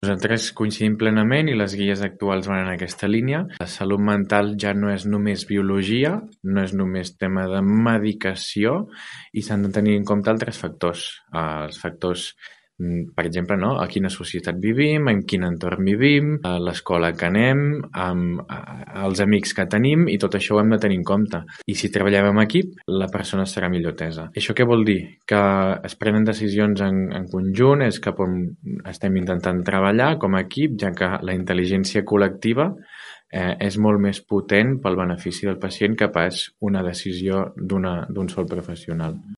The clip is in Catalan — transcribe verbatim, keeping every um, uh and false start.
Nosaltres coincidim plenament i les guies actuals van en aquesta línia. La salut mental ja no és només biologia, no és només tema de medicació i s'han de tenir en compte altres factors. Els factors, per exemple, no? A quina societat vivim, en quin entorn vivim, a l'escola que anem, amb els amics que tenim i tot això ho hem de tenir en compte. I si treballem en equip, la persona serà millor atesa. Això què vol dir? Que es prenen decisions en, en conjunt, és cap on estem intentant treballar com a equip, ja que la intel·ligència col·lectiva eh, és molt més potent pel benefici del pacient que pas una decisió d'una, d'un sol professional.